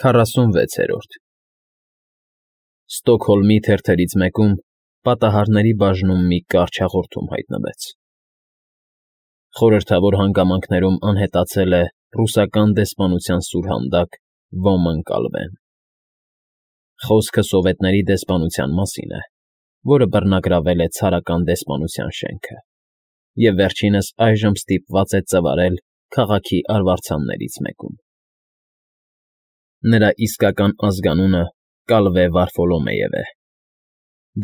46-րդ Ստոկհոլմի թերթերից մեկում պատահարների բաժնում մի կարճ հաղորդում հայտնվեց. Խորհրդավոր հանգամանքներում անհետացել է ռուսական դեսպանության սուրհանդակ Ոմն Կալվեն։ Խոսքը սովետների դեսպանության մասին է, որը բռնագրավել է ցարական դեսպանության շենքը, և վերջինս այժմ ստիպված է ծվարել քաղաքի արվարձաններից մեկում։ Նրա իսկական ազգանունը Կալվե Վարֆոլոմեև է։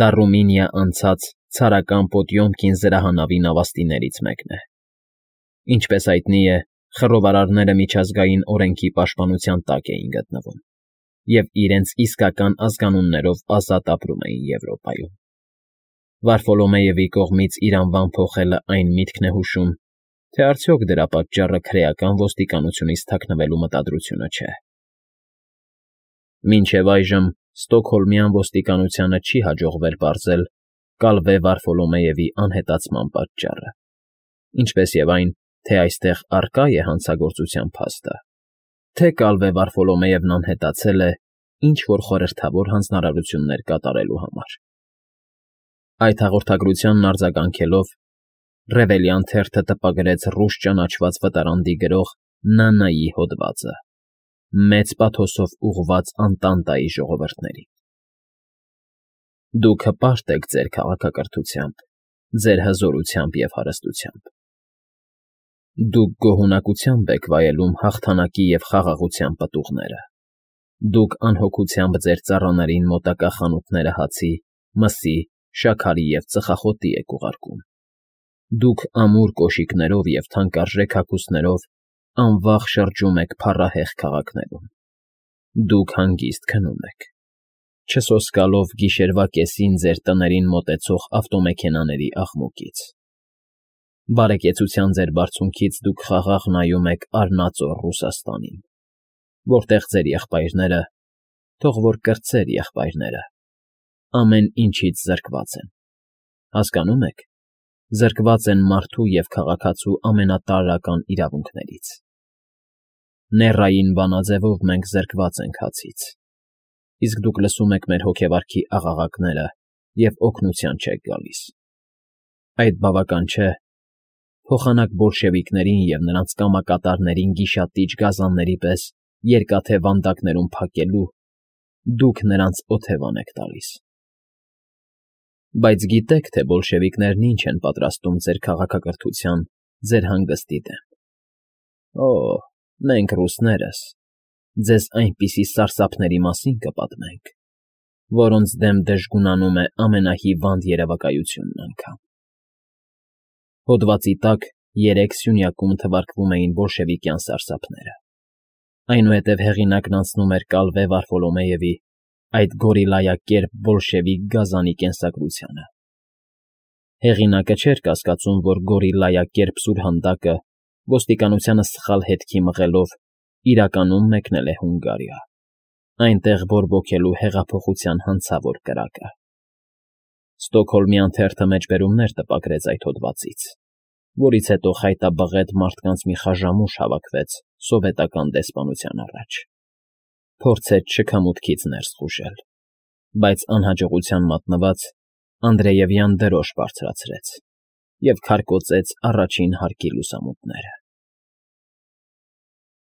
Դա Ռումինիա անցած ցարական Պոտյոմկին զրահանավի նավաստիներից մեկն է։ Ինչպես հայտնի է, խռովարարները միջազգային օրենքի պաշտպանության տակ էին գտնվում և իրենց իսկական ազգանուններով ազատ ապրում էին Եվրոպայում։ Վարֆոլոմեևի կողմից իր անվան փոխելը այն միտքն է հուշում, թե արդյոք դրա պատճառը քրեական ոստիկանությունից թաքնվելու մտադրությունը չէ։ Մինչև այժմ Ստոկհոլմյան ոստիկանությանը չի հաջողվել պարզել Կալվե Վարֆոլոմեևի անհետացման պատճառը, ինչպես և այն, թե այստեղ առկա է հանցագործության փաստը, թե Կալվե Վարֆոլոմեևն անհետացել է ինչ-որ խորհրդավոր հանձնարարություններ կատարելու համար։ Այդ հաղորդագրությանն արձագանքելով Ռևելյան թերթը տպագրեց ռուս ճանաչված վտարանդի գրող Նանայի հոդվածը, մեծ պաթոսով ուղղված Անտանտայի ժողովրդներին։ Դուք հպարտ եք ձեր քաղաքակրթությամբ, ձեր հզորությամբ և հարստությամբ։ Դուք գոհունակությամբ եք վայելում հաղթանակի և խաղաղության պտուղները։ Դուք անհոգությամբ ձեր ծառաներին մոտակա խանութները հացի, մսի, շաքարի և ծխախոտի եք ուղարկում։ Դուք ամուր կոշիկներով և թանկարժեք հագուստներով անվախ շրջում եք փառահեղ քաղաքներում։ Դուք հանգիստ քնում եք, չսոսկալով գիշերվա կեսին ձեր տներին մոտեցող ավտոմեքենաների աղմուկից։ Բարեկեցության ձեր բարձունքից դուք խաղաղ նայում եք արնածոր Ռուսաստանին, որտեղ ձեր եղբայրները, թող որ կրտսեր եղբայրները, ամեն ինչից զրկված են, հասկանո՞ւմ եք, զրկված են մարդու և քաղաքացու ամենատարրական իրավունքներից։ Նեռային բանաձևով մենք զրկված ենք հացից, իսկ դուք լսում եք մեր հոգեվարքի աղաղակները և օգնության չեք գալիս։ Այդ բավական չէ, փոխանակ բոլշևիկներին և նրանց կամակատարներին գիշատիչ գազանների պես երկաթե վանդակներում փակելու, դուք նրանց օթևան եք տալիս։ Բայց գիտեք, թե բոլշևիկներն ինչ են պատրաստում ձեր քաղաքակրթության, ձեր հանգստի դեմ։ Օ՜, մենք ռուսներս ձեզ այնպիսի սարսափների մասին կպատմենք, որոնց դեմ դժգունանում է ամենահիվանդ երևակայությունն անգամ։ Հոդվածի տակ 3 սյունյակում թվարկվում էին բոլշևիկյան սարսափները, այնուհետև հեղինակն անցնում էր Կալվե Վարֆոլոմեևի, այդ գորիլայակերպ բոլշևիկ գազանի կենսագրությանը։ Հեղինակը չէր կասկածում, որ գորիլայակերպ սուրհանդակը ոստիկանությանը սխալ հետքի մղելով իրականում մեկնել է Հունգարիա, այնտեղ բորբոքելու հեղափոխության հանցավոր կրակը։ Ստոկհոլմյան թերթը մեջբերումներ տպագրեց այդ հոդվածից, որից հետո խայտաբղետ մարդկանց մի խաժամուշ հավաքվեց սովետական դեսպանության առաջ, փորձեց շքամուտքից ներս խուժել, բայց անհաջողության մատնված Անդրեևյան դրոշ բարձրացրեց և քարկոծեց առաջին հարկի լուսամուտները։